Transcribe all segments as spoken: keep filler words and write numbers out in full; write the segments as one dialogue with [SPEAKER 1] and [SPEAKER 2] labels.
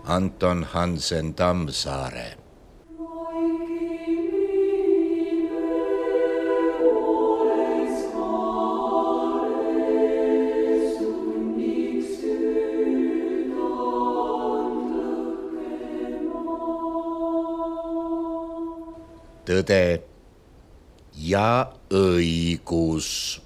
[SPEAKER 1] Anton Hansen Tammsaare. Tõde ja õigus.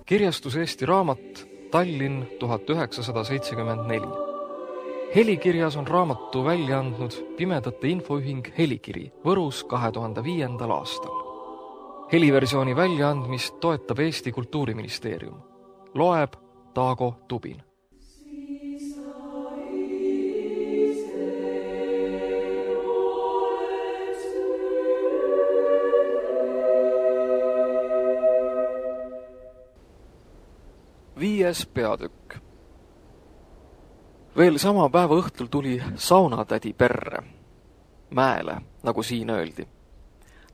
[SPEAKER 2] Kirjastus Eesti Raamat, Tallinn tuhat üheksasada seitsekümmend neli. Helikirjas on raamatu välja andnud Pimedate Infoühing Helikiri Võrus kahe tuhande viiendal aastal. Heliversiooni väljaandmist toetab Eesti Kultuuriministeerium. Loeb Taago Tubin. Viies peatükk. Veel sama päeva õhtul tuli saunatädi perre. Mäele, nagu siin öeldi.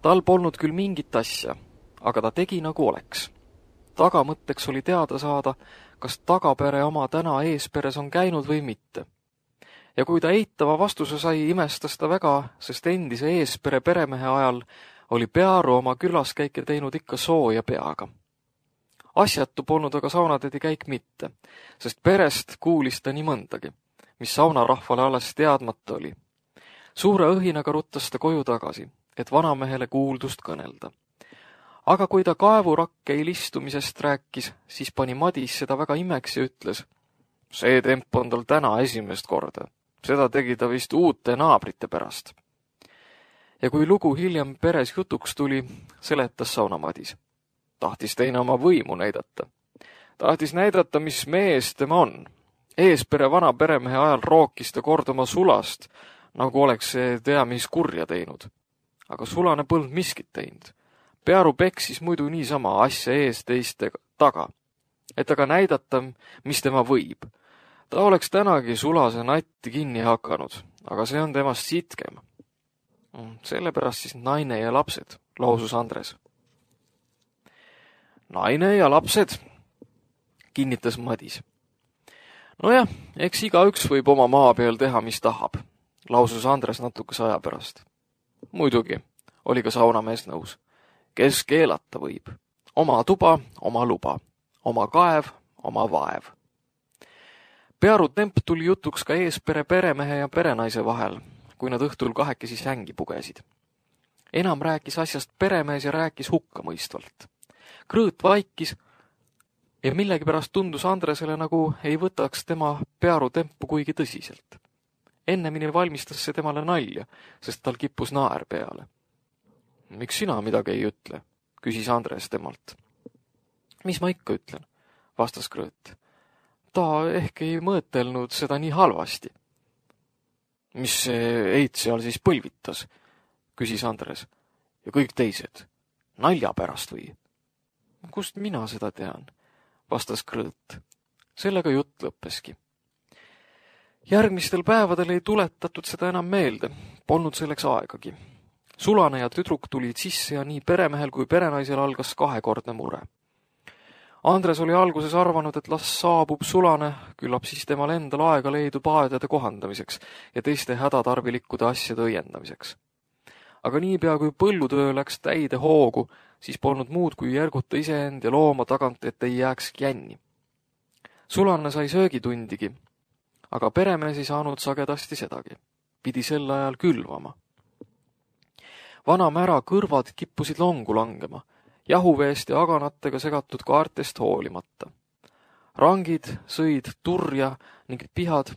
[SPEAKER 2] Tal polnud küll mingit asja, aga ta tegi nagu oleks. Tagamõtteks oli teada saada, kas tagapere oma täna eesperes on käinud või mitte. Ja kui ta eitava vastuse sai, imestas ta väga, sest endise eespere peremehe ajal oli Pearu oma külaskäike teinud ikka sooja peaga. Asjatu polnud aga saunatädi käik mitte, sest perest kuulis ta nii mõndagi, mis saunarahvale alles teadmata oli. Suure õhinaga ruttas ta koju tagasi, et vanamehele kuuldust kõnelda. Aga kui ta kaevurakkeil istumisest rääkis, siis pani Madis seda väga imeks ja ütles, see temp on tal täna esimest korda. Seda tegi ta vist uute naabrite pärast. Ja kui lugu hiljem peres jutuks tuli, seletas sauna Madis. Tahtis teine oma võimu näidata. Tahtis näidata, mis mees tema on. Eespere vana peremehe ajal rookis ta kord oma sulast, nagu oleks see tea mis kurja teinud. Aga sulane polnud miskit teinud. Pearu peksis muidu niisama asja ees teiste taga, et aga näidata, mis tema võib. Ta oleks tänagi sulase natti kinni hakanud, aga see on temast sitkem. Sellepärast siis naine ja lapsed, lausus Andres. Naine ja lapsed, kinnitas Madis. Nojah, eks igaüks võib oma maa peal teha, mis tahab, lausus Andres natukese aja pärast. Muidugi, oli ka saunamees nõus. Kes keelata võib? Oma tuba, oma luba. Oma kaev, oma vaev. Pearu temp tuli jutuks ka eespere peremehe ja perenaise vahel, kui nad õhtul kahekesi sängi pugesid. Enam rääkis asjast peremees ja rääkis hukkamõistvalt. Krõõt vaikis ja millegipärast tundus Andresele, nagu ei võtaks tema Pearu tempu kuigi tõsiselt. Ennemini valmistas see temale nalja, sest tal kippus naer peale. Miks sina midagi ei ütle, küsis Andres temalt. Mis ma ikka ütlen, vastas Krõõt. Ta ehk ei mõõtelnud seda nii halvasti. Mis see eit seal siis põlvitas, küsis Andres. Ja kõik teised, nalja pärast või? Kust mina seda tean, vastas Krõõt. Sellega jutt lõppeski. Järgmistel päevadel ei tuletatud seda enam meelde, polnud selleks aegagi. Sulane ja tüdruk tulid sisse ja nii peremehel kui perenaisel algas kahekordne mure. Andres oli alguses arvanud, et las saabub sulane, küllap siis temal endal aega leidub aedade kohandamiseks ja teiste hädatarvilikkude asjade õiendamiseks. Aga niipea kui põllutöö läks täide hoogu, siis polnud muud kui järguta iseend ja looma tagant, et ei jääks jänni. Sulane sai söögitundigi, aga peremees ei saanud sagedasti sedagi. Pidi sel ajal külvama. Vana mära kõrvad kippusid longu langema, jahuveest ja aganatega segatud kaartest hoolimata. Rangid sõid turja ning pihad,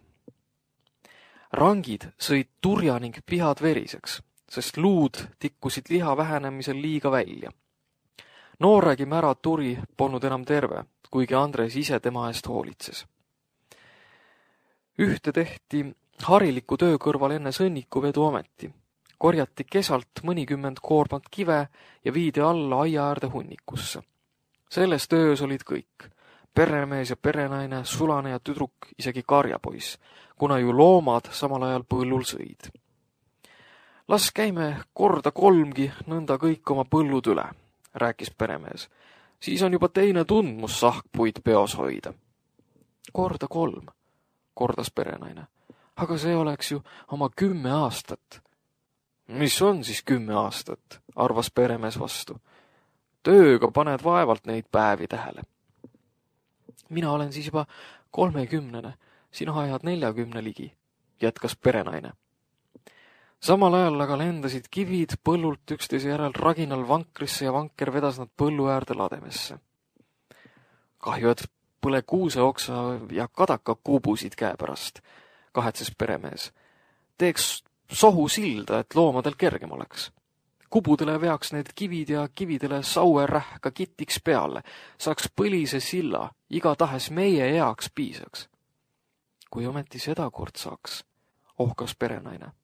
[SPEAKER 2] Rangid sõid turja ning pihad veriseks, sest luud tikkusid liha vähenemisel liiga välja. Nooregi mära turi polnud enam terve, kuigi Andres ise tema eest hoolitses. Ühte tehti hariliku töö kõrval enne sõnnikuvedu ameti. Korjati kesalt mõnikümmend koormat kive ja viidi alla aia äärde hunnikusse. Selles töös olid kõik. peremees ja perenaine, sulane ja tüdruk, isegi karjapoiss, kuna ju loomad samal ajal põllul sõid. Las käime korda kolmgi nõnda kõik oma põllud üle, rääkis peremees. Siis on juba teine tundmus sahkpuid peos hoida. Korda kolm, kordas perenaine. Aga see oleks ju oma kümme aastat. Mis on siis kümme aastat, arvas peremees vastu. Tööga paned vaevalt neid päevi tähele. Mina olen siis juba kolmekümnene, sina ajad neljakümne ligi, jätkas perenaine. Samal ajal aga lendasid kivid põllult üksteise järel raginal vankrisse ja vanker vedas nad põllu äärde lademesse. Kahju, et põle kuuseoksa ja kadaka kuubusid käe pärast, kahetses peremees. Teeks sohu silda, et loomadel kergem oleks. Kubudele veaks need kivid ja kividele saue rähka kitiks peale, saaks põlise silla, iga tahes meie eaks piisaks. Kui ometi seda kord saaks, ohkas perenaine.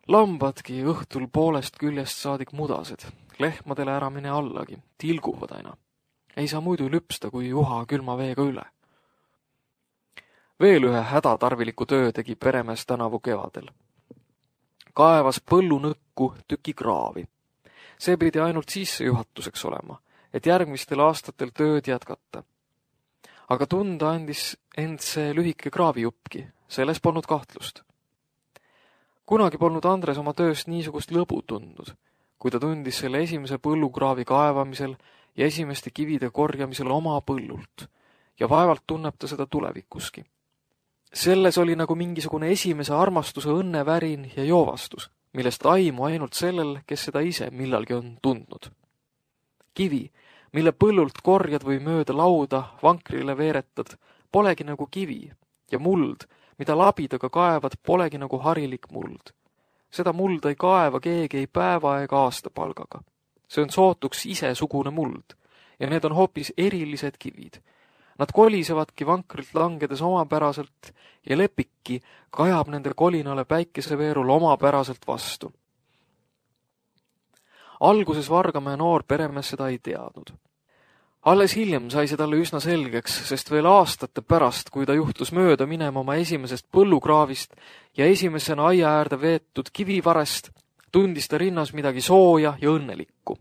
[SPEAKER 2] Lambadki õhtul poolest küljest saadik mudased, lehmadele ära mine allagi, tilguvad aina. Ei saa muidu lüpsta, kui juha külma veega üle. Veel ühe hädatarviliku töö tegi peremees tänavu kevadel. Kaevas põllunõkku tüki kraavi. See pidi ainult sissejuhatuseks olema, et järgmistel aastatel tööd jätkata. Aga tunda andis end see lühike kraavijuppki, selles polnud kahtlust. Kunagi polnud Andres oma tööst niisugust lõbu tundnud, kui ta tundis selle esimese põllukraavi kaevamisel ja esimeste kivide korjamisel oma põllult ja vaevalt tunneb ta seda tulevikuski. Selles oli nagu mingisugune esimese armastuse õnnevärin ja joovastus, millest aimu ainult sellel, kes seda ise millalgi on tundnud. Kivi, mille põllult korjad või mööda lauda vankrile veeretad, polegi nagu kivi ja muld, mida labidaga kaevad, polegi nagu harilik muld. Seda mulda ei kaeva keegi ei päeva ega aastapalgaga. See on sootuks isesugune muld ja need on hoopis erilised kivid. Nad kolisevadki vankrilt langedes omapäraselt ja lepikki kajab nende kolinale päikeseveerul omapäraselt vastu. Alguses Vargamäe noor peremees seda ei teadnud. Alles hiljem sai see talle üsna selgeks, sest veel aastate pärast, kui ta juhtus mööda minema oma esimesest põllukraavist ja esimesena aia äärde veetud kivivarest, tundis ta rinnas midagi sooja ja õnnelikku.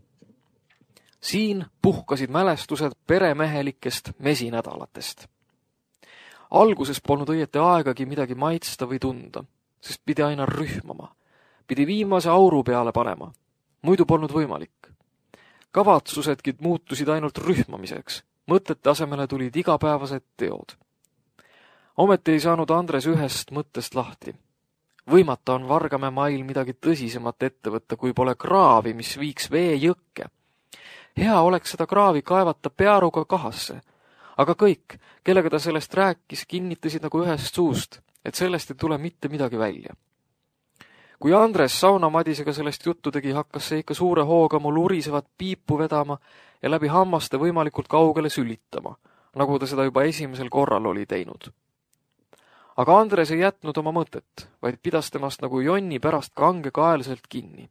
[SPEAKER 2] Siin puhkasid mälestused peremehelikest mesinädalatest. Alguses polnud õieti aegagi midagi maitsta või tunda, sest pidi aina rühmama. Pidi viimase auru peale panema. Muidu polnud võimalik. Kavatsusedki muutusid ainult rühmamiseks. Mõtete asemele tulid igapäevased teod. Ometi ei saanud Andres ühest mõttest lahti. Võimata on Vargamäe mail midagi tõsisemat ette võtta, kui pole kraavi, mis viiks vee jõkke. Hea oleks seda kraavi kaevata pearuga kahasse, aga kõik, kellega ta sellest rääkis, kinnitasid nagu ühest suust, et sellest ei tule mitte midagi välja. Kui Andres saunamadisega sellest juttu tegi, hakkas see ikka suure hooga mul urisevat piipu vedama ja läbi hammaste võimalikult kaugele sülitama, nagu ta seda juba esimesel korral oli teinud. Aga Andres ei jätnud oma mõtet, vaid pidas temast nagu jonni pärast kangekaelselt kinni.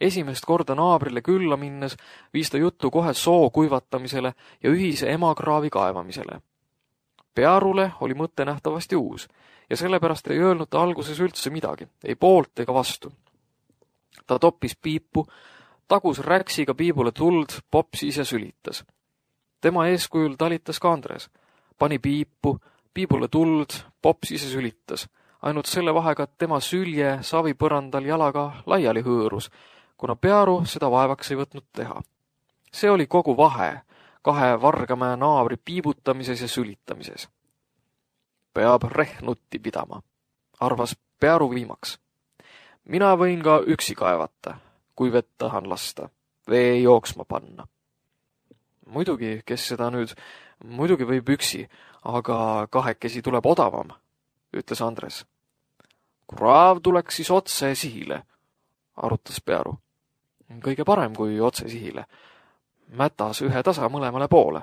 [SPEAKER 2] Esimest korda naabrile külla minnes viis ta juttu kohe soo kuivatamisele ja ühise emakraavi kaevamisele. Pearule oli mõte nähtavasti uus ja sellepärast ei öelnud ta alguses üldse midagi, ei poolt ega vastu. Ta toppis piipu, tagus räksiga piibule tuld, popsis ja sülitas. Tema eeskujul talitas ka Andres. Pani piipu, piibule tuld, popsis ja sülitas. Ainult selle vahega, et tema sülje savipõrandal jalaga laiali hõõrus, kuna Pearu seda vaevaks ei võtnud teha. See oli kogu vahe kahe Vargamäe naabri piibutamises ja sülitamises. Peab rehnutti pidama, arvas Pearu viimaks. Mina võin ka üksi kaevata, kui vett tahan lasta, vee jooksma panna. Muidugi, kes seda nüüd, muidugi võib üksi, aga kahekesi tuleb odavam, ütles Andres. Kraav tuleks siis otse sihile, arutas Pearu. Kõige parem kui otse sihile. Mätas ühe tasa mõlemale poole,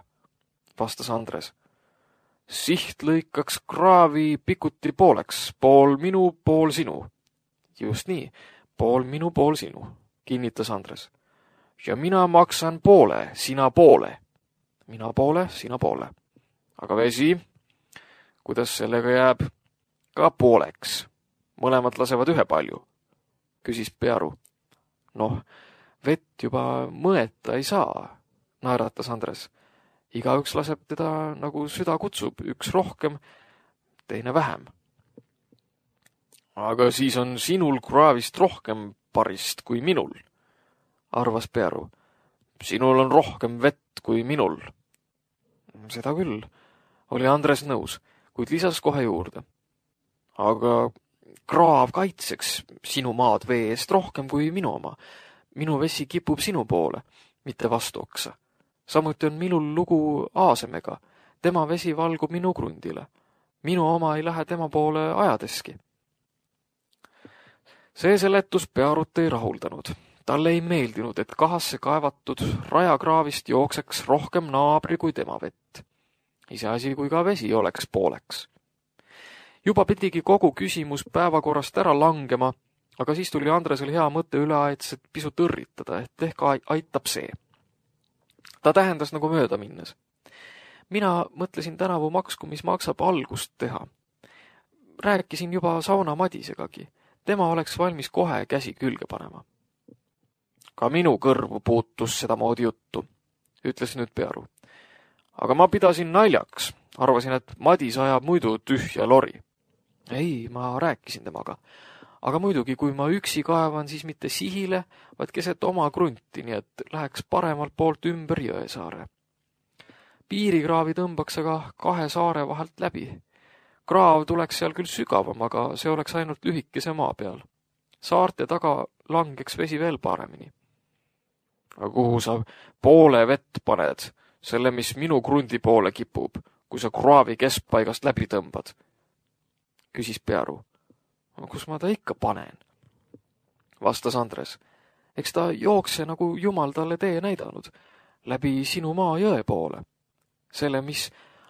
[SPEAKER 2] vastas Andres. Siht lõikaks kraavi pikuti pooleks, pool minu, pool sinu. Just nii, pool minu, pool sinu, kinnitas Andres. Ja mina maksan poole, sina poole. Mina poole, sina poole, aga vesi, kuidas sellega jääb? Ka pooleks. Mõlemad lasevad ühe palju, küsis Pearu. Noh, vett juba mõeta ei saa, naeratas Andres. Igaüks laseb teda nagu süda kutsub, üks rohkem, teine vähem. Aga siis on sinul kraavist rohkem parist kui minul, arvas Pearu. Sinul on rohkem vett kui minul. Seda küll, oli Andres nõus, kuid lisas kohe juurde. Aga kraav kaitseks sinu maad vee eest rohkem kui minu oma. Minu vesi kipub sinu poole, mitte vastu oksa. Samuti on minul lugu Aasemega. Tema vesi valgub minu krundile. Minu oma ei lähe tema poole ajadeski. See seletus Pearut ei rahuldanud. Talle ei meeldinud, et kahasse kaevatud rajakraavist jookseks rohkem naabri kui tema vett. Iseasi kui ka vesi oleks pooleks. Juba pidigi kogu küsimus päevakorrast ära langema, aga siis tuli Andresel hea mõte üle aetset pisut õrritada, et ehk aitab see. Ta tähendas nagu mööda minnes. Mina mõtlesin tänavu maksku, mis maksab algust teha. Rääkisin juba sauna Madisegagi. Tema oleks valmis kohe käsi külge panema. Ka minu kõrvu puutus seda moodi juttu, ütles nüüd Pearu. Aga ma pidasin naljaks. Arvasin, et Madis ajab muidu tühja lori. Ei, ma rääkisin temaga. Aga muidugi, kui ma üksi kaevan, siis mitte sihile, vaid keset oma krunti, nii et läheks paremalt poolt ümber Jõesaare. Piirikraavi tõmbaks aga kahe saare vahelt läbi. Kraav tuleks seal küll sügavam, aga see oleks ainult lühikese maa peal. Saarte taga langeks vesi veel paremini. Aga kuhu sa poole vett paned, selle, mis minu krundi poole kipub, kui sa kraavi keskpaigast läbi tõmbad? Küsis Pearu. Kus ma ta ikka panen? Vastas Andres. Eks ta jookse, nagu Jumal talle tee näidanud, läbi sinu maa jõe poole. Selle, mis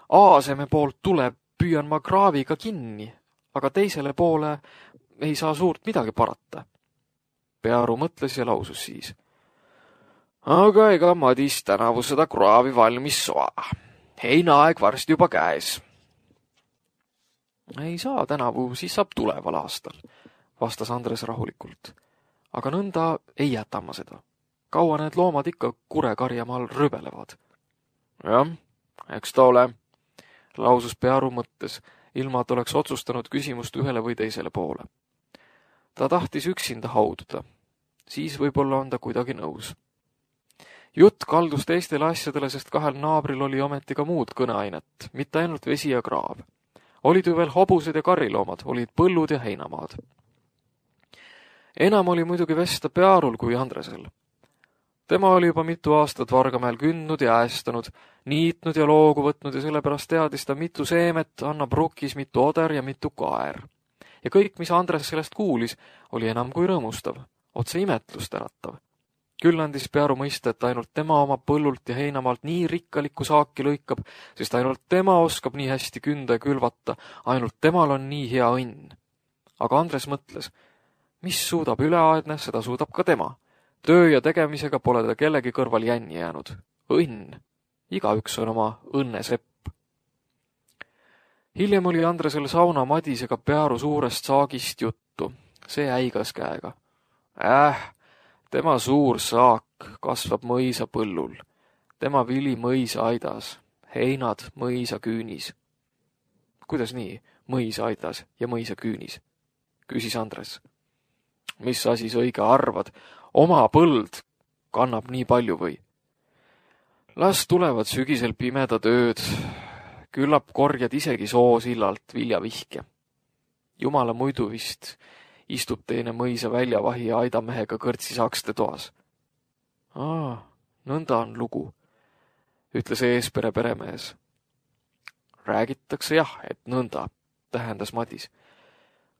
[SPEAKER 2] Aaseme poolt tuleb, püüan ma kraaviga kinni, aga teisele poole ei saa suurt midagi parata. Pearu mõtles ja lausus siis. Aga ega Madis tänavu seda kraavi valmis soa. Heinaaeg varsti juba käes. Ei saa tänavu, siis saab tuleval aastal, vastas Andres rahulikult. Aga nõnda ei jäta ma seda. Kaua need loomad ikka kurekarjamaal rübelevad? Jah, eks ta ole, lausus Pearu mõttes, ilma et oleks otsustanud küsimust ühele või teisele poole. Ta tahtis üksinda haududa. Siis võib-olla on ta kuidagi nõus. Jutt kaldus teistele asjadele, sest kahel naabril oli ometi ka muud kõneainet, mitte ainult vesi ja kraav. Olid ju veel hobused ja kariloomad, olid põllud ja heinamaad. Enam oli muidugi vesta Pearul kui Andresel. Tema oli juba mitu aastat Vargamäel kündnud ja äestanud, niitnud ja loogu võtnud ja sellepärast teadis ta mitu seemet, annab rukkis mitu oder ja mitu kaer. Ja kõik, mis Andres sellest kuulis, oli enam kui rõõmustav, otse imetlust äratav. Küll andis Pearu mõista, et ainult tema oma põllult ja heinamaalt nii rikkalikku saaki lõikab, sest ainult tema oskab nii hästi künda ja külvata, ainult temal on nii hea õnn. Aga Andres mõtles, mis suudab üleaedne, seda suudab ka tema. Töö ja tegemisega pole ta kellegi kõrval jänni jäänud. Õnn. Igaüks on oma õnnesepp. Hiljem oli Andresel sauna Madisega Pearu suurest saagist juttu. See äigas käega. Äh, tema suur saak kasvab mõisa põllul. Tema vili mõisa aidas. Heinad mõisa küünis. Kuidas nii? Mõisa aidas ja mõisa küünis? Küsis Andres. Mis asi sa õige arvad? Oma põld kannab nii palju või? Las tulevad sügisel pimeda tööd. Küllap korjad isegi soosillalt viljavihke. Jumala muidu vist istub teine mõisa väljavahi ja aidamehega kõrtsi sakste toas. Aa, nõnda on lugu, ütles eespere peremees. Räägitakse jah, et nõnda, tähendas Madis.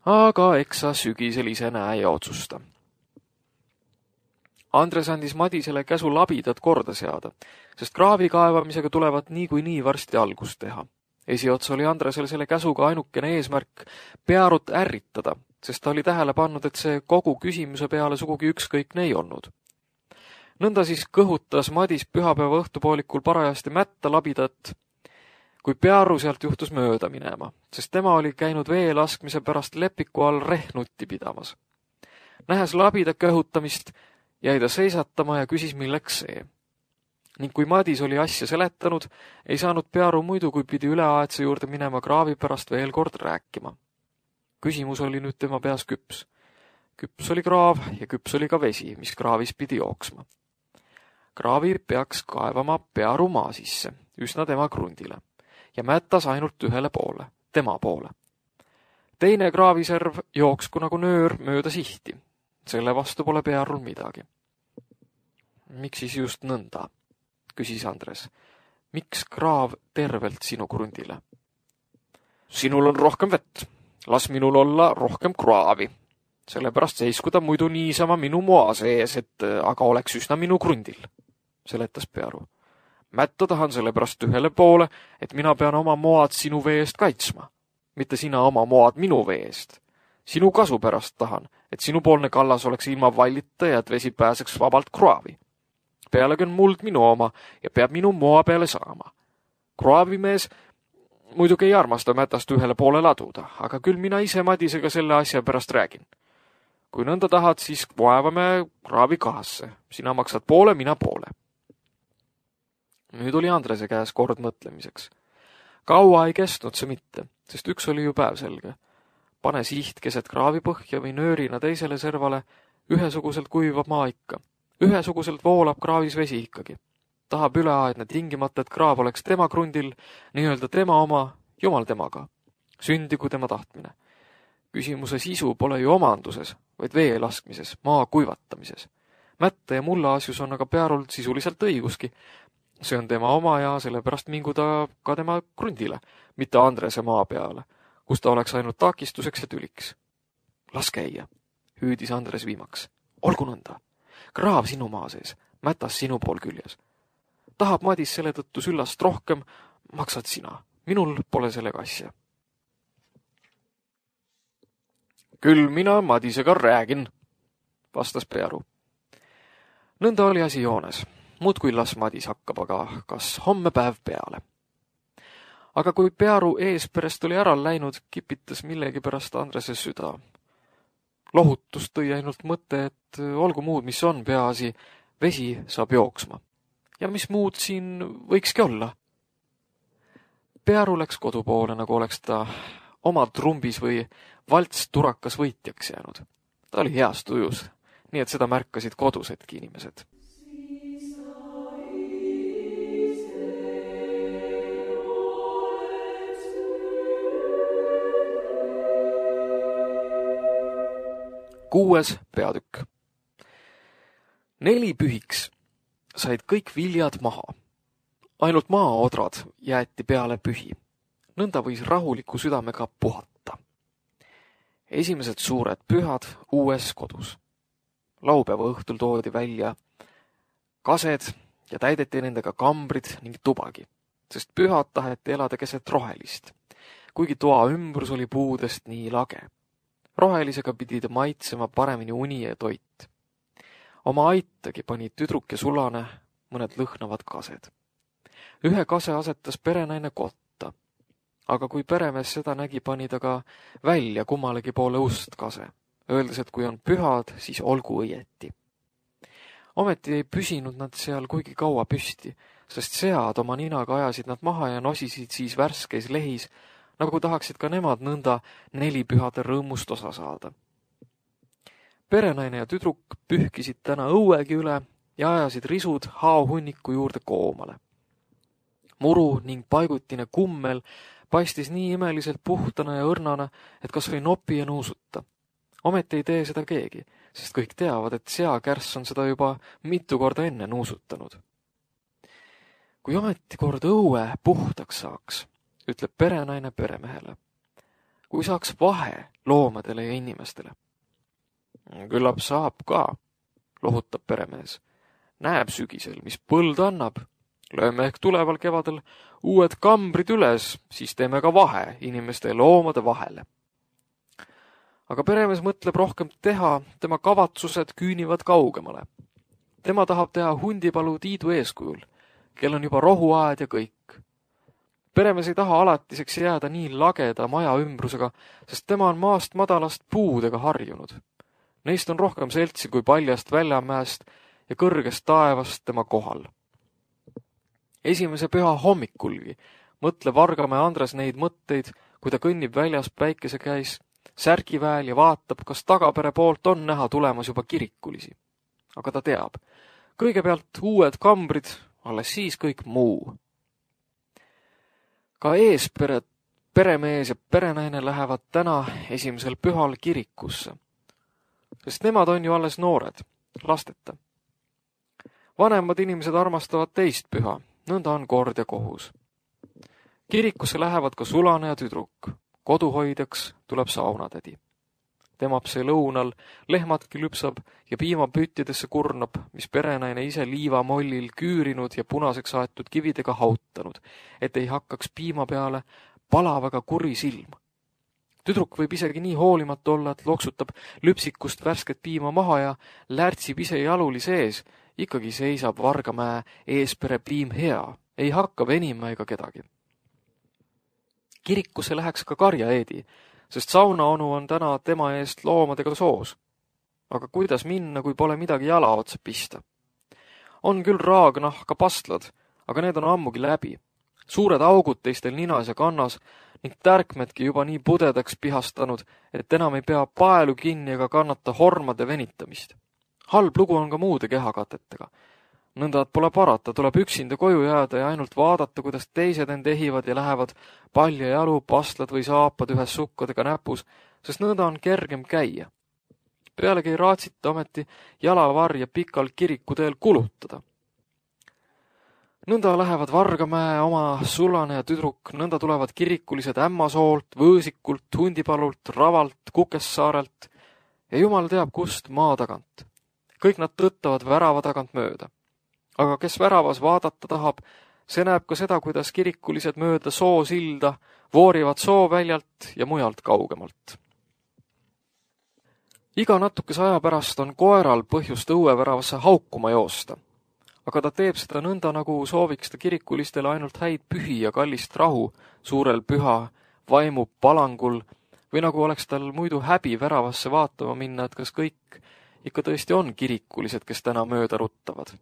[SPEAKER 2] Aga eks sa sügisel ise näe ja otsusta. Andres andis Madisele käsu labidad korda seada, sest kraavi kaevamisega tulevad niikuinii varsti algust teha. Esiots oli Andresel selle käsuga ainukene eesmärk Pearut ärritada, sest ta oli tähele pannud, et see kogu küsimuse peale sugugi ükskõikne ei olnud. Nõnda siis kõhutas Madis pühapäeva õhtupoolikul parajasti mätta labidat. kui Pearu sealt juhtus mööda minema, sest tema oli käinud vee laskmise pärast lepiku all rehnutti pidamas. Nähes labida köhutamist, jäi ta seisatama ja küsis, milleks see. Ning kui Madis oli asja seletanud, ei saanud Pearu muidu, kui pidi üleaedse juurde minema kraavi pärast veel kord rääkima. Küsimus oli nüüd tema peas küps. Küps oli kraav ja küps oli ka vesi, mis kraavis pidi jooksma. Kraavi peaks kaevama Pearu maa sisse, üsna tema krundile, ja mättas ainult ühele poole, tema poole. Teine kraaviserv jooksku nagu nöör mööda sihti. Selle vastu pole Pearul midagi. Miks siis just nõnda? Küsis Andres. Miks kraav tervelt sinu krundile? Sinul on rohkem vett. Las minul olla rohkem kraavi. Sellepärast seisku ta muidu niisama minu moa sees, et aga oleks üsna minu krundil, seletas Pearu. Mätta tahan sellepärast ühele poole, et mina pean oma moad sinu veest kaitsma, mitte sina oma moad minu veest. Sinu kasu pärast tahan, et sinupoolne kallas oleks ilma vallita ja et vesi pääseks vabalt kraavi. Pealegi on muld minu oma ja peab minu moa peale saama. Kraavimees muidugi ei armasta mätast ühele poole laduda, aga küll mina ise Madisega selle asja pärast räägin. Kui nõnda tahad, siis vaevame kraavi kahasse. Sina maksad poole, mina poole. Nüüd oli Andrese käes kord mõtlemiseks. Kaua ei kestnud see mitte, sest üks oli ju päev selge. Pane siht keset kraavipõhja või nöörina teisele servale, ühesuguselt kuivab maa ikka. Ühesuguselt voolab kraavis vesi ikkagi. Tahab üleaedne tingimata, et kraav oleks tema krundil, nii-öelda tema oma, jumal temaga. Sündigu tema tahtmine. Küsimuse sisu pole ju omanduses, vaid vee laskmises, maa kuivatamises. Mätte ja mulla asjus on aga Pearul sisuliselt õiguski. See on tema oma ja sellepärast mingu ta ka tema krundile, mitte Andrese maa peale, kus ta oleks ainult takistuseks ja tüliks. Las käia, hüüdis Andres viimaks. Olgu nõnda. Kraav sinu maa sees, mätas sinu pool küljes. Tahab Madis selle tõttu süllast rohkem, maksad sina. Minul pole sellega asja. Küll mina Madisega räägin, vastas Pearu. Nõnda oli asi joones. Muud kui las Madis hakkab, aga kas homme päev peale. Aga kui Pearu eesperest oli ära läinud, kipitas millegi pärast Andrese süda. Lohutust tõi ainult mõte, et olgu muud, mis on peaasi, vesi saab jooksma. Ja mis muud siin võikski olla? Pearu läks kodupoole, nagu oleks ta oma trumbis või valts turakas võitjaks jäänud. Ta oli heas tujus, nii et seda märkasid kodusedki inimesed. Kuues peatükk. Neli pühiks said kõik viljad maha. Ainult maaodrad jäeti peale pühi. Nõnda võis rahuliku südamega puhata. Esimesed suured pühad uues kodus. Laupäeva õhtul toodi välja kased ja täideti nendega kambrid ning tubagi, sest pühad taheti elada keset rohelist, kuigi toa ümbrus oli puudest nii lage. Rohelisega pidi ta maitsema paremini uni ja toit. Oma aitagi pani tüdruk ja sulane mõned lõhnavad kased. Ühe kase asetas perenaine kotta, aga kui peremees seda nägi, pani ta ka välja kummalegi poole ust kase, öeldes, et kui on pühad, siis olgu õieti. Ometi ei püsinud nad seal kuigi kaua püsti, sest sead oma ninaga ajasid nad maha ja nosisid siis värskeis lehis, nagu tahaksid ka nemad nõnda nelipühade rõõmust osa saada. Perenaine ja tüdruk pühkisid täna õuegi üle ja ajasid risud haohunniku juurde koomale. Muru ning paigutine kummel paistis nii imeliselt puhtana ja õrnana, et kas või nopi ja nuusuta. Ometi ei tee seda keegi, sest kõik teavad, et seakärss on seda juba mitu korda enne nuusutanud. Kui ometi kord õue puhtaks saaks, ütleb perenaine peremehele. Kui saaks vahe loomadele ja inimestele. Küllap saab ka, lohutab peremees. Näeb sügisel, mis põld annab. Lööme ehk tuleval kevadel uued kambrid üles, siis teeme ka vahe inimeste ja loomade vahele. Aga peremees mõtleb rohkem teha, tema kavatsused küünivad kaugemale. Tema tahab teha hundipalu Tiidu eeskujul, kel on juba rohuaed ja kõik. Peremees ei taha alatiseks jääda nii lageda maja ümbrusega, sest tema on maast madalast puudega harjunud. Neist on rohkem seltsi kui paljast väljamäest ja kõrgest taevast tema kohal. Esimese püha hommikulgi mõtleb Vargamäe Andres neid mõtteid, kui ta kõnnib väljas päikese käis, särgiväel ja vaatab, kas tagapere poolt on näha tulemas juba kirikulisi. Aga ta teab, kõigepealt uued kambrid, alles siis kõik muu. Ka eespere, peremees ja perenaine lähevad täna esimesel pühal kirikusse, sest nemad on ju alles noored, lasteta. Vanemad inimesed armastavad teist püha, nõnda on kord ja kohus. Kirikusse lähevad ka sulane ja tüdruk. Koduhoidjaks tuleb saunatädi. Temab see lõunal, lehmatki lüpsab ja piimapüttidesse kurnab, mis perenaine ise liivamollil küürinud ja punaseks aetud kividega hautanud, et ei hakkaks piima peale palavaga kuri silm. Tüdruk võib isegi nii hoolimatu olla, et loksutab lüpsikust värsket piima maha ja lärtsib ise jaluli sees, ikkagi seisab Vargamäe eespere piim hea, ei hakka venima ega kedagi. Kirikusse läheks ka Karja Eedi, sest saunaonu on täna tema eest loomadega soos. Aga kuidas minna, kui pole midagi jala otsa pista? On küll raagnahka pastlad, aga need on ammugi läbi. Suured augud teistel ninas ja kannas ning tärkmedki juba nii pudedaks pihastanud, et enam ei pea paelu kinni ega kannata hormade venitamist. Halb lugu on ka muude kehakatetega. Nõnda, et pole parata, tuleb üksinda koju jääda ja ainult vaadata, kuidas teised end ehivad ja lähevad palja jalu, pastlad või saapad ühes sukkadega näpus, sest nõnda on kergem käia. Pealegi ei raatsita ometi jalavarja pikal kirikuteel kulutada. Nõnda lähevad Vargamäe oma sulane ja tüdruk, nõnda tulevad kirikulised Ämmasoolt, Võõsikult, Hundipalult, Ravalt, Kukessaarelt ja jumal teab kust maa tagant. Kõik nad tõttavad värava tagant mööda. Aga kes väravas vaadata tahab, see näeb ka seda, kuidas kirikulised mööda soosilda voorivad sooväljalt ja mujalt kaugemalt. Iga natukese aja pärast on koeral põhjust õueväravasse haukuma joosta, aga ta teeb seda nõnda, nagu sooviks ta kirikulistele ainult häid pühi ja kallist rahu suurel püha vaimu palangul või nagu oleks tal muidu häbi väravasse vaatama minna, et kas kõik ikka tõesti on kirikulised, kes täna mööda ruttavad.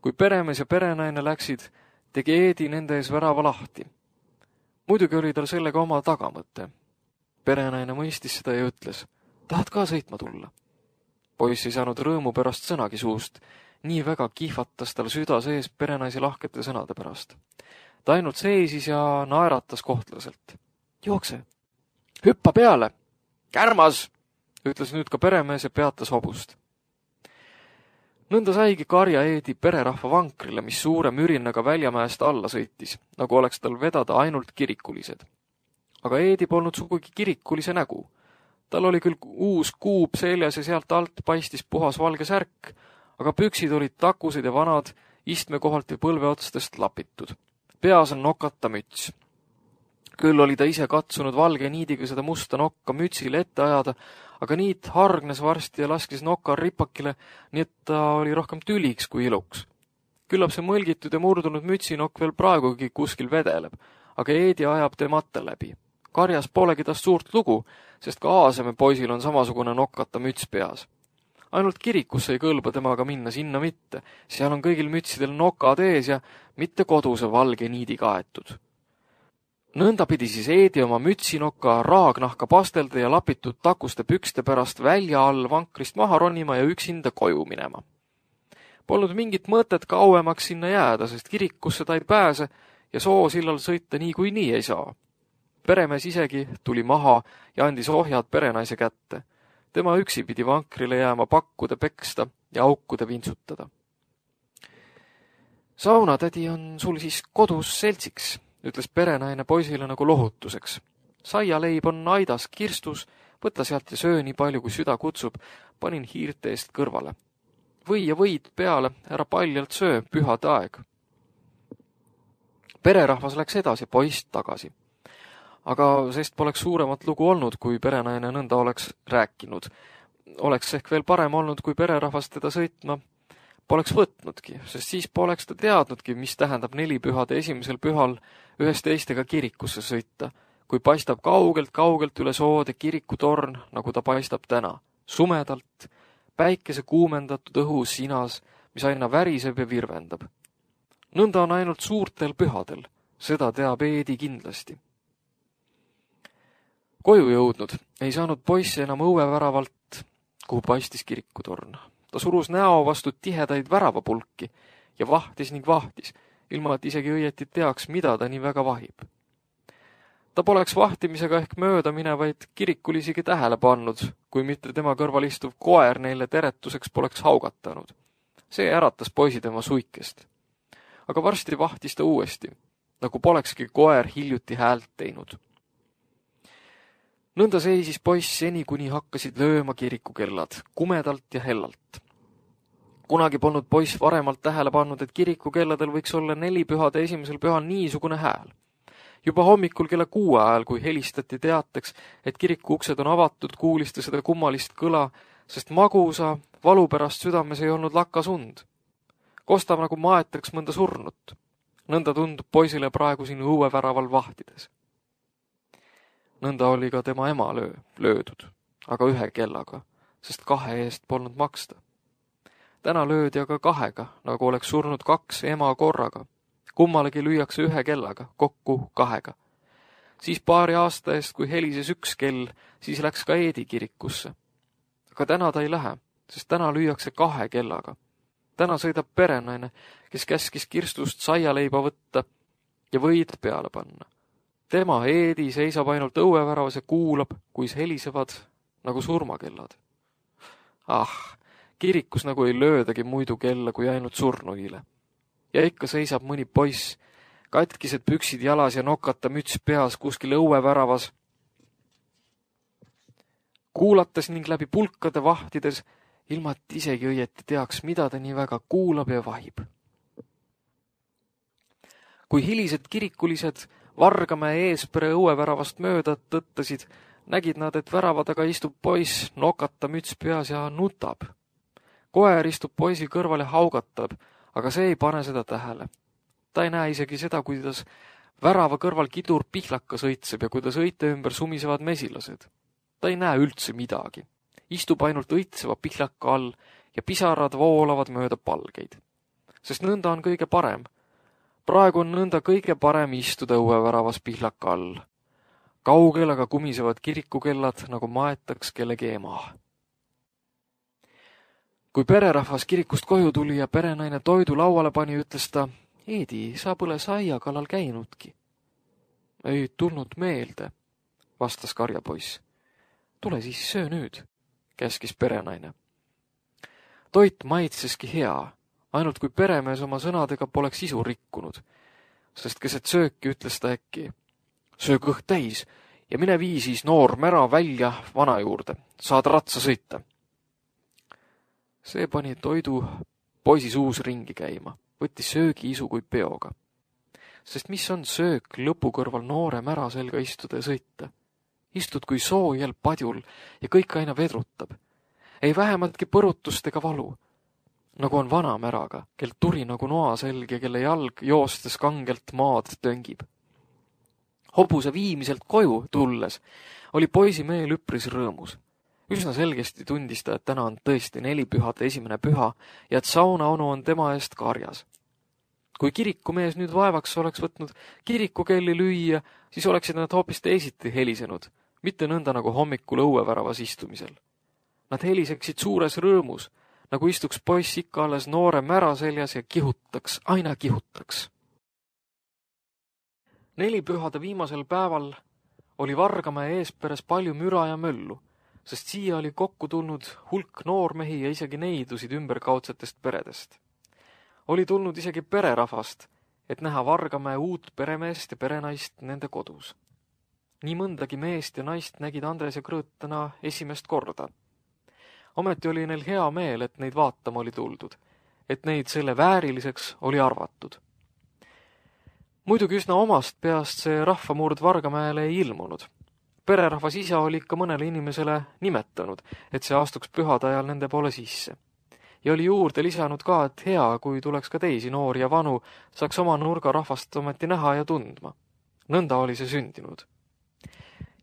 [SPEAKER 2] Kui peremees ja perenaine läksid, tegi Eedi nende ees värava lahti. Muidugi oli tal sellega oma tagamõte. Perenaine mõistis seda ja ütles, tahad ka sõitma tulla? Poiss ei saanud rõõmu pärast sõnagi suust, nii väga kihvatas tal süda sees perenaise lahkete sõnade pärast. Ta ainult seisis ja naeratas kohtlaselt. Jookse, hüppa peale, kärmas, ütles nüüd ka peremees ja peatas hobust. Nõnda saigi Karja Eedi pererahva vankrile, mis suure mürinaga Väljamäest alla sõitis, nagu oleks tal vedada ainult kirikulised. Aga Eedi polnud sugugi kirikulise nägu. Tal oli küll uus kuub seljas ja sealt alt paistis puhas valge särk, aga püksid olid takused ja vanad, istmekohalt ja põlveotstest lapitud. Peas on nokata müts. Küll oli ta ise katsunud valge niidiga seda musta nokka mütsile ette ajada, aga niit hargnes varsti ja laskis noka ripakile, nii et ta oli rohkem tüliks kui iluks. Küllap see mõlgitud ja murdunud mütsinokk veel praegugi kuskil vedeleb, aga Eedi ajab temata läbi. Karjas polegi tast suurt lugu, sest ka Aaseme poisil on samasugune nokata müts peas. Ainult kirikusse ei kõlba temaga minna, sinna mitte. Seal on kõigil mütsidel nokad ees ja mitte koduse valge niidi kaetud. Nõnda pidi siis Eedi oma mütsinoka raagnahka pastelda ja lapitud takuste pükste pärast välja all vankrist maha ronima ja üksinda koju minema. Polnud mingit mõtet kauemaks sinna jääda, sest kirikusse ta ei pääse ja soosillal sõita nii kui nii ei saa. Peremees isegi tuli maha ja andis ohjad perenaise kätte. Tema üksi pidi vankrile jääma pakkude peksta ja aukude vintsutada. Saunatädi on sul siis kodus seltsiks, ütles perenaine poisile nagu lohutuseks. Saialeib on aidas kirstus, võta sealt ja söö nii palju, kui süda kutsub, panin hiirte eest kõrvale. Või ja võid peale, ära paljalt söö, pühad aeg. Pererahvas läks edasi, poiss tagasi. Aga sest poleks suuremat lugu olnud, kui perenaine nõnda oleks rääkinud. Oleks ehk veel parem olnud, kui pererahvas teda sõitma poleks võtnudki, sest siis poleks ta teadnudki, mis tähendab nelipühade esimesel pühal ühest teistega kirikusse sõita, kui paistab kaugelt-kaugelt üle soode kirikutorn, nagu ta paistab täna, sumedalt, päikese kuumendatud õhu sinas, mis aina väriseb ja virvendab. Nõnda on ainult suurtel pühadel, seda teab Eedi kindlasti. Koju jõudnud ei saanud poiss enam õueväravalt, kuhu paistis kirikutorn. Ta surus näo vastu tihedaid väravapulki ja vahtis ning vahtis, ilma et isegi õieti teaks, mida ta nii väga vahib. Ta poleks vahtimisega ehk mööda minevaid kirikul isegi tähele pannud, kui mitte tema kõrval istuv koer neile teretuseks poleks haugatanud. See äratas poisi tema suikest. Aga varsti vahtis ta uuesti, nagu polekski koer hiljuti häält teinud. Nõnda seisis poiss seni, kuni hakkasid lööma kirikukellad, kumedalt ja hellalt. Kunagi polnud poiss varemalt tähele pannud, et kirikukelladel võiks olla nelipühade esimesel pühal niisugune hääl. Juba hommikul kella kuue ajal, kui helistati teateks, et kiriku uksed on avatud, kuulis ta seda kummalist kõla, sest magusa, valu pärast südames ei olnud lakkas und. Kostab nagu maetaks mõnda surnut. Nõnda tundub poisile praegu siin õueväraval vahtides. Nõnda oli ka tema ema löö, löödud, aga ühe kellaga, sest kahe eest polnud maksta. Täna löödi aga kahega, nagu oleks surnud kaks ema korraga. Kummalegi lüüakse ühe kellaga, kokku kahega. Siis paari aasta eest, kui helises üks kell, siis läks ka Eedi kirikusse. Aga täna ta ei lähe, sest täna lüüakse kahe kellaga. Täna sõidab perenaine, kes käskis kirstust saialeiba võtta ja võid peale panna. Tema, Eedi, seisab ainult õueväravas ja kuulab, kuis helisevad nagu surmakellad. Ah, kirikus nagu ei löödagi muidu kella kui ainult surnuile. Ja ikka seisab mõni poiss, katkised püksid jalas ja nokata müts peas kuskil õueväravas, kuulates ning läbi pulkade vahtides, ilma et isegi õieti teaks, mida ta nii väga kuulab ja vahib. Kui hilised kirikulised Vargamäe eespere õueväravast mööda tõttasid, nägid nad, et värava taga istub poiss, nokata müts peas ja nutab. Koer istub poisi kõrval ja haugatab, aga see ei pane seda tähele. Ta ei näe isegi seda, kuidas värava kõrval kidur pihlaka sõitseb ja kuidas õite ümber sumisevad mesilased. Ta ei näe üldse midagi. Istub ainult õitseva pihlaka all ja pisarad voolavad mööda palgeid. Sest nõnda on kõige parem. Praegu on nõnda kõige parem istuda õueväravas pihlaka all. Kaugel aga kumisevad kirikukellad, nagu maetaks kellegi ema. Kui pererahvas kirikust koju tuli ja perenaine toidu lauale pani, ütles ta, Eedi, sa pole saia kallal käinudki. Ei tulnud meelde, vastas karjapoiss. Tule siis söö nüüd, käskis perenaine. Toit maitseski hea, ainult kui peremees oma sõnadega poleks isu rikkunud, sest keset sööki ütles ta äkki. Söö kõht täis ja mine vii siis noor mära välja vana juurde, saad ratsa sõita. See pani toidu poisi suus ringi käima, võttis söögi isu kui peoga. Sest mis on söök lõpu kõrval noore mära selga istuda ja sõita? Istud kui soojal padjul ja kõik aina vedrutab. Ei vähemaltki põrutust ega valu. Nagu on vana märaga, kel turi nagu noa selg ja kelle jalg joostes kangelt maad töngib. Hobuse viimiselt koju tulles oli poisi meel üpris rõõmus. Üsna selgesti tundis ta, et täna on tõesti nelipühade esimene püha ja et saunaonu on tema eest karjas. Kui kirikumees nüüd vaevaks oleks võtnud kirikukelli lüüa, siis oleksid nad hoopis teisiti helisenud, mitte nõnda nagu hommikul õueväravas istumisel. Nad heliseksid suures rõõmus, nagu istuks poiss ikka alles noore mära seljas ja kihutaks, aina kihutaks. Nelipühade viimasel päeval oli Vargamäe eesperes palju müra ja möllu, sest siia oli kokku tulnud hulk noormehi ja isegi neidusid ümberkaudsetest peredest. Oli tulnud isegi pererahvast, et näha Vargamäe uut peremeest ja perenaist nende kodus. Nii mõndagi meest ja naist nägid Andres ja Krõõtana esimest korda. Ometi oli neil hea meel, et neid vaatama oli tuldud, et neid selle vääriliseks oli arvatud. Muidugi üsna omast peast see rahvamurd Vargamäele ei ilmunud. Pererahvas isa oli ikka mõnele inimesele nimetanud, et see astuks pühade ajal nende poole sisse. ja oli juurde lisanud ka, et hea, kui tuleks ka teisi noori ja vanu, saaks oma nurga rahvast ometi näha ja tundma. Nõnda oli see sündinud.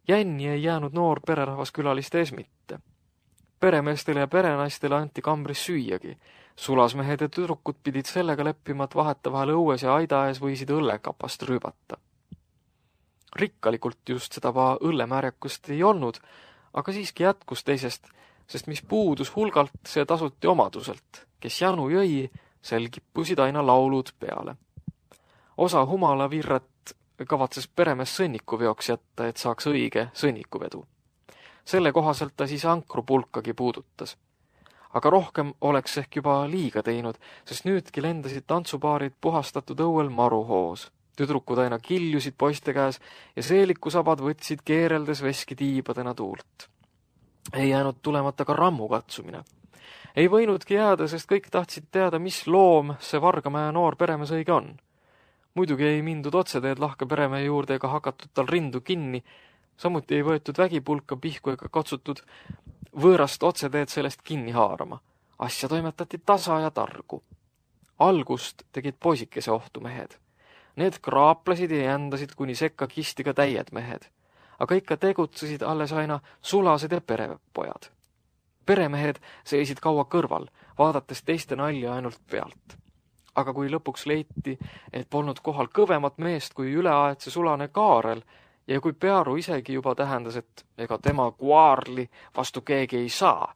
[SPEAKER 2] Jänni ei jäänud noor pererahvas külaliste ees mitte. Peremeestele ja perenaistele anti kambris süüagi. Sulasmehed ja tüdrukud pidid sellega leppima, et vahetevahel õues ja aida ees võisid õllekapast rüübata. Rikkalikult just seda va õllemärjakust ei olnud, aga siiski jätkus teisest, sest mis puudus hulgalt, see tasuti omaduselt. Kes janu jõi, sel kippusid aina laulud peale. Osa humalavirret kavatses peremees sõnnikuveoks jätta, et saaks õige sõnnikuvedu. Selle kohaselt ta siis ankrupulkagi puudutas. Aga rohkem oleks ehk juba liiga teinud, sest nüüdki lendasid tantsupaarid puhastatud õuel maruhoos. Tüdrukud aina kiljusid poiste käes ja seelikusabad võtsid keereldes veski tiibadena tuult. Ei jäänud tulemata ka rammu katsumine. Ei võinudki jääda, sest kõik tahtsid teada, mis loom see Vargamäe noor peremees õige on. Muidugi ei mindud otseteed lahke peremehe juurde ega hakatud tal rindu kinni, samuti ei võetud vägipulka pihku ega katsutud võõrast otseteed sellest kinni haarama. Asja toimetati tasa ja targu. Algust tegid poisikese ohtu mehed. Need kraaplasid ja jändasid, kuni sekka kisti ka täied mehed. Aga ikka tegutsesid alles aina sulased ja perepojad. Peremehed seisid kaua kõrval, vaadates teiste nalja ainult pealt. Aga kui lõpuks leiti, et polnud kohal kõvemat meest kui üleaetse sulane Kaarel, ja kui Pearu isegi juba tähendas, et ega tema kuaarli vastu keegi ei saa,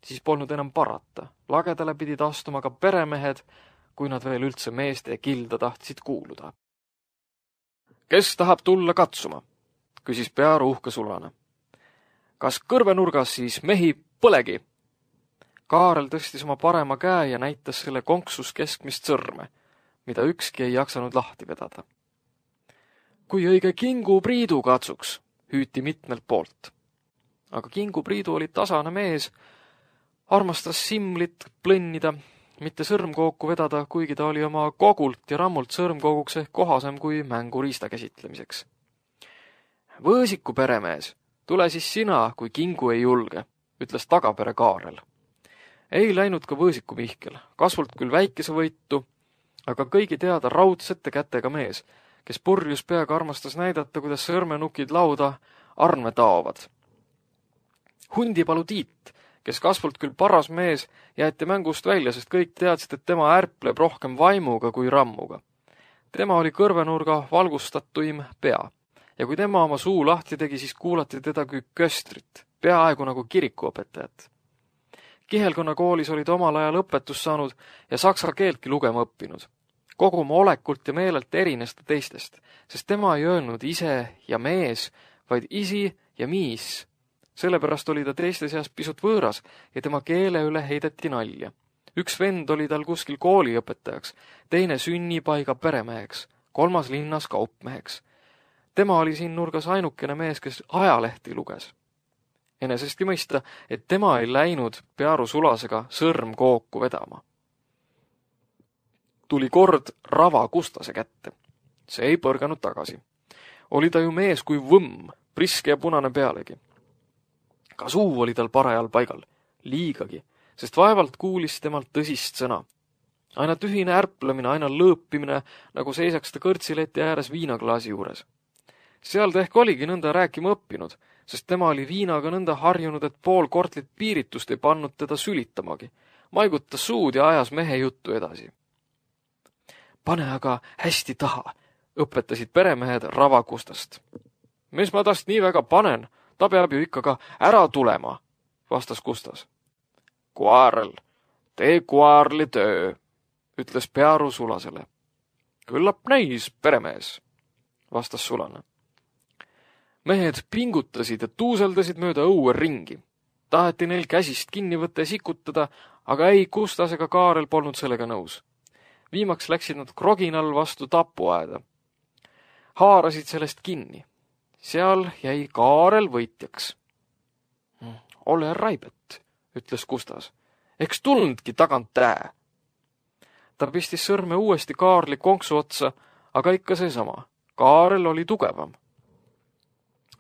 [SPEAKER 2] siis polnud enam parata. Lagedale pidid astuma ka peremehed, kui nad veel üldse meeste kilda tahtsid kuuluda. Kes tahab tulla katsuma? Küsis Pearu uhke sulane. Kas kõrvenurgas siis mehi põlegi? Kaarel tõstis oma parema käe ja näitas selle konksus keskmist sõrme, mida ükski ei jaksanud lahti vedada. Kui õige Kingu Priidu katsuks, hüüti mitmelt poolt. Aga Kingu Priidu oli tasane mees, armastas simlit plõnnida, mitte sõrmkooku vedada, kuigi ta oli oma kogult ja rammult sõrmkooguks ehk kohasem kui mänguriista käsitlemiseks. Võõsiku peremees, tule siis sina, kui Kingu ei julge, ütles tagapere Kaarel. Ei läinud ka Võõsiku Mihkel, kasvult küll väikese võitu, aga kõigi teada raudsete kätega mees, kes purjus peaga armastas näidata, kuidas sõrmenukid lauda arme taovad. Hundipalu Tiit, kes kasvult küll paras mees, jäeti mängust välja, sest kõik teadsid, et tema ärpleb rohkem vaimuga kui rammuga. Tema oli kõrvenurga valgustatuim pea, ja kui tema oma suu lahti tegi, siis kuulati teda kui köstrit, peaaegu nagu kirikuõpetajat. Kihelkonna koolis oli ta omal ajal õpetus saanud ja saksa keeltki lugema õppinud. Kogu oma olekult ja meelelt erines ta teistest, sest tema ei öelnud ise ja mees, vaid isi ja miis. Sellepärast oli ta teiste seas pisut võõras ja tema keele üle heideti nalja. Üks vend oli tal kuskil kooliõpetajaks, teine sünnipaiga peremeheks, kolmas linnas kaupmeheks. Tema oli siin nurgas ainukene mees, kes ajalehti luges. Enesestki mõista, et tema ei läinud Pearu sulasega sõrm kooku vedama. Tuli kord Rava Kustase kätte. See ei põrganud tagasi. Oli ta ju mees kui võmm, priske ja punane pealegi. Ka suu oli tal parajal paigal, liigagi, sest vaevalt kuulis temalt tõsist sõna. Aina tühine ärplemine, aina lõõpimine, nagu seisaks ta kõrtsileti ääres viinaklaasi juures. Seal ta ehk oligi nõnda rääkima õppinud, sest tema oli viinaga nõnda harjunud, et pool kortlit piiritust ei pannud teda sülitamagi. Maigutas suud ja ajas mehe juttu edasi. Pane aga hästi taha, õpetasid peremehed Rava Kustast. Mis ma tast nii väga panen, ta peab ju ikka ka ära tulema, vastas Kustas. Kuaarel, tee kuaarli töö, ütles Pearu sulasele. Küllap näis, peremees, vastas sulane. Mehed pingutasid ja tuuseldasid mööda õue ringi. Taheti neil käsist kinni võtta ja sikutada, aga ei Kustas ega Kaarel polnud sellega nõus. Viimaks läksid nad kroginal vastu tapuaeda. Haarasid sellest kinni. Seal jäi Kaarel võitjaks. Ole raibet, ütles Kustas. Eks tulnudki tagant tää. Ta pistis sõrme uuesti Kaarli konksu otsa, aga ikka seesama. Kaarel oli tugevam.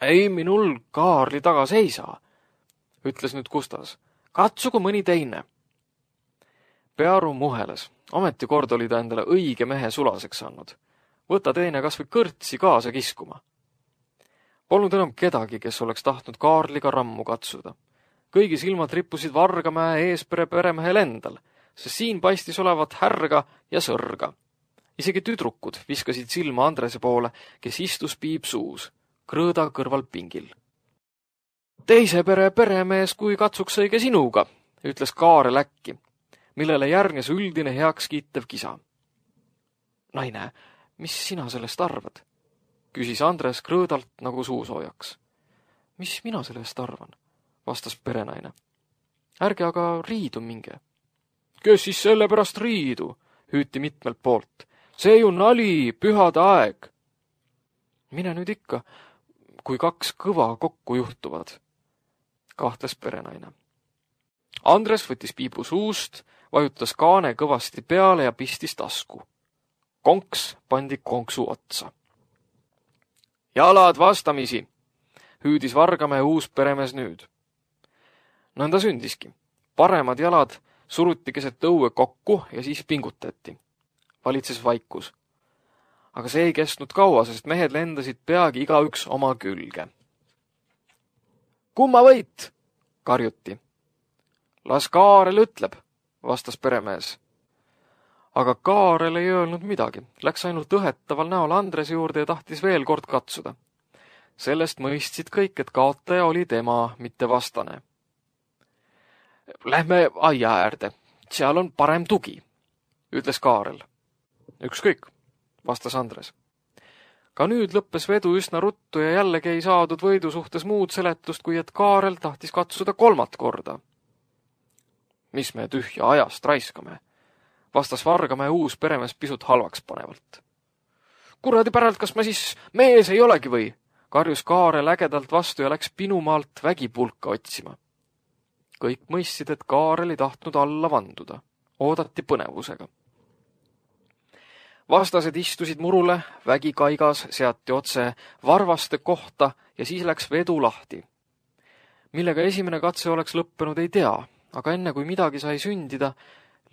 [SPEAKER 2] Ei minul Kaarli taga seisa, ütles nüüd Kustas. Katsugu mõni teine. Pearu muheles. Ometi kord oli ta endale õige mehe sulaseks andnud. Võta teine kas või kõrtsi kaasa kiskuma. Polnud enam kedagi, kes oleks tahtnud Kaarliga rammu katsuda. Kõigi silmad rippusid Vargamäe Eespere peremehel endal, sest siin paistis olevat härga ja sõrga. Isegi tüdrukud viskasid silma Andrese poole, kes istus piip suus, krõõda kõrval pingil. Teise pere peremees, kui katsuks õige sinuga, ütles Kaarel äkki, millele järgnes üldine heaks kiitev kisa. Naine, mis sina sellest arvad? Küsis Andres krõõdalt nagu suusoojaks. Mis mina sellest arvan? Vastas perenaine. Ärge aga riidu minge. Kes siis selle pärast riidu? Hüüti mitmelt poolt. See ju nali, pühade aeg. Mine nüüd ikka, kui kaks kõva kokku juhtuvad, kahtles perenaine. Andres võttis piibu suust, vajutas kaane kõvasti peale ja pistis tasku. Konks pandi konksu otsa. Jalad vastamisi, hüüdis Vargamäe uus peremees nüüd. Nõnda sündiski. Paremad jalad suruti keset õue kokku ja siis pingutati. Valitses vaikus. Aga see ei kestnud kaua, sest mehed lendasid peagi igaüks oma külge. Kumma võit? Karjuti. Las Kaarel ütleb, vastas peremees. Aga Kaarel ei öelnud midagi. Läks ainult õhetaval näol Andrese juurde ja tahtis veel kord katsuda. Sellest mõistsid kõik, et kaotaja oli tema, mitte vastane. Lähme aia äärde. Seal on parem tugi, ütles Kaarel. Ükskõik, vastas Andres. Ka nüüd lõppes vedu üsna ruttu ja jällegi ei saadud võidu suhtes muud seletust, kui et Kaarel tahtis katsuda kolmat korda. Mis me tühja ajast raiskame, vastas Vargamäe uus peremees pisut halvaks panevalt. Kuradi päralt, kas ma siis mees ei olegi või? Karjus Kaarel ägedalt vastu ja läks pinumaalt vägipulka otsima. Kõik mõistsid, et Kaarel ei tahtnud alla vanduda. Oodati põnevusega. Vastased istusid murule, vägi kaigas seati otse varvaste kohta ja siis läks vedu lahti. Millega esimene katse oleks lõppenud, ei tea, aga enne kui midagi sai sündida,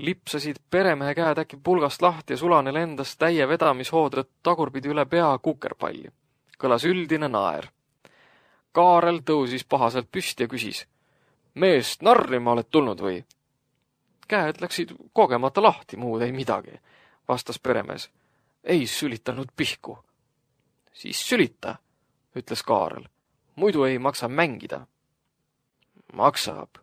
[SPEAKER 2] lipsasid peremehe käed äkki pulgast lahti ja sulane lendas täie vedamishoodret tagurpidi üle pea kukerpalli. Kõlas üldine naer. Kaarel tõusis pahaselt püsti ja küsis. Meest narrima oled tulnud või? Käed läksid kogemata lahti, muud ei midagi, vastas peremees. Ei sülitanud pihku. Siis sülita, ütles Kaarel. Muidu ei maksa mängida. Maksab,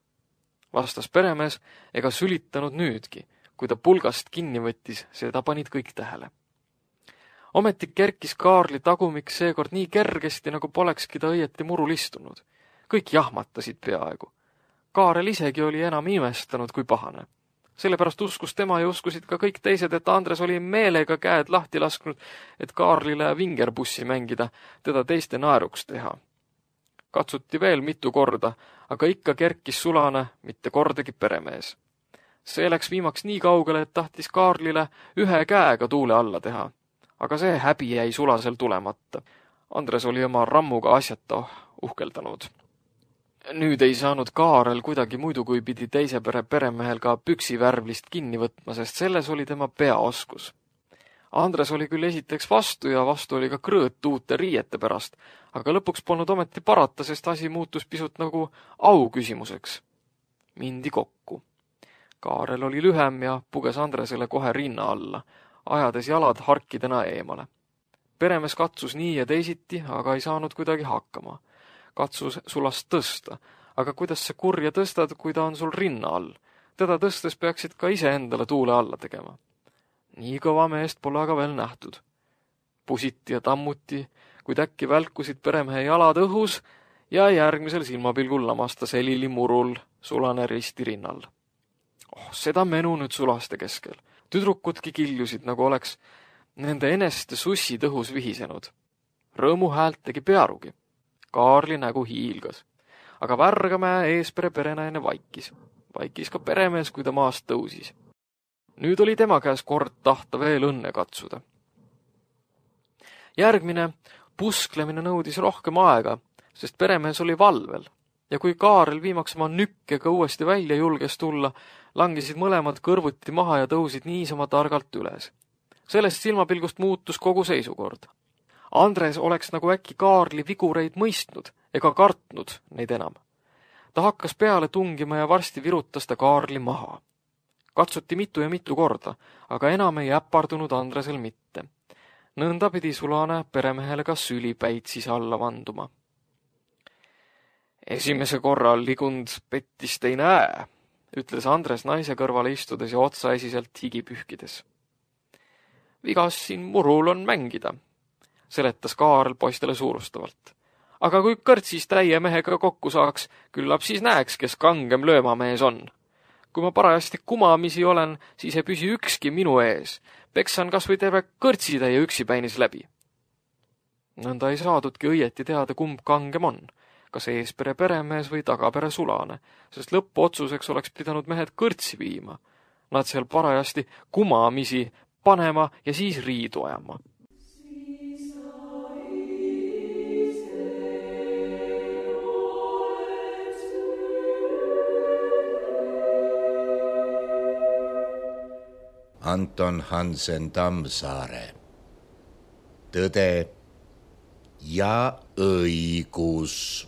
[SPEAKER 2] vastas peremees ega sülitanud nüüdki. Kui ta pulgast kinni võttis, seda panid kõik tähele. Ometi kerkis Kaarli tagumik seekord nii kergesti, nagu polekski ta õieti murul istunud. Kõik jahmatasid peaaegu. Kaarel isegi oli enam imestanud kui pahane. Sellepärast uskus tema ja uskusid ka kõik teised, et Andres oli meelega käed lahti lasknud, et Kaarlile vingerbussi mängida, teda teiste naeruks teha. Katsuti veel mitu korda, aga ikka kerkis sulane, mitte kordagi peremees. See läks viimaks nii kaugele, et tahtis Kaarlile ühe käega tuule alla teha. Aga see häbi jäi sulasel tulemata. Andres oli oma rammuga asjata uhkeldanud. Nüüd ei saanud Kaarel kuidagi muidu, kui pidi teise pere peremehel ka püksivärvlist kinni võtma, sest selles oli tema peaoskus. Andres oli küll esiteks vastu ja vastu oli ka krõõt uute riiete pärast, aga lõpuks polnud ometi parata, sest asi muutus pisut nagu au küsimuseks. Mindi kokku. Kaarel oli lühem ja puges Andresele kohe rinna alla, ajades jalad harkidena eemale. Peremees katsus nii ja teisiti, aga ei saanud kuidagi hakkama. Katsus sulast tõsta, aga kuidas see kurja tõstad, kui ta on sul rinna all? Teda tõstes peaksid ka ise endale tuule alla tegema. Nii kõva meest pole aga veel nähtud. Pusiti ja tammuti, kuid äkki välkusid peremehe jalad õhus ja järgmisel silmapilgul lamasta selili murul sulane risti rinnal. Oh, seda menu nüüd sulaste keskel. Tüdrukudki kiljusid, nagu oleks nende eneste sussid õhus vihisenud. Rõõmu häält tegi Pearugi. Kaarli nägu hiilgas. Aga Vargamäe Eespere perenaine vaikis. Vaikis ka peremees, kui ta maast tõusis. Nüüd oli tema käes kord tahta veel õnne katsuda. Järgmine pusklemine nõudis rohkem aega, sest peremees oli valvel. Ja kui Kaarel viimaks oma nükkega uuesti välja julges tulla, langesid mõlemad kõrvuti maha ja tõusid niisama targalt üles. Sellest silmapilgust muutus kogu seisukord. Andres oleks nagu äkki Kaarli vigureid mõistnud ega kartnud neid enam. Ta hakkas peale tungima ja varsti virutas ta Kaarli maha. Katsuti mitu ja mitu korda, aga enam ei äpardunud Andresel mitte. Nõnda pidi sulane peremehele ka sülipäitsis alla vanduma. Esimese korral ligund pettist ei näe, ütles Andres naise kõrvale istudes ja otsaesiselt higi pühkides. Vigas siin murul on mängida, seletas Kaarl poistele suurustavalt. Aga kui kõrtsis täie mehega kokku saaks, küllap siis näeks, kes kangem löömamees on. Kui ma parajasti kumamisi olen, siis ei püsi ükski minu ees. Peksan kas või terve kõrtsitäie üksipäinis läbi. Nõnda ei saadudki õieti teada, kumb kangem on, kas eespere peremees või tagapere sulane, sest lõpuotsuseks oleks pidanud mehed kõrtsi viima. Nad seal parajasti kumamisi panema ja siis riidu ajama.
[SPEAKER 1] Anton Hansen Tammsaare. Tõde ja õigus.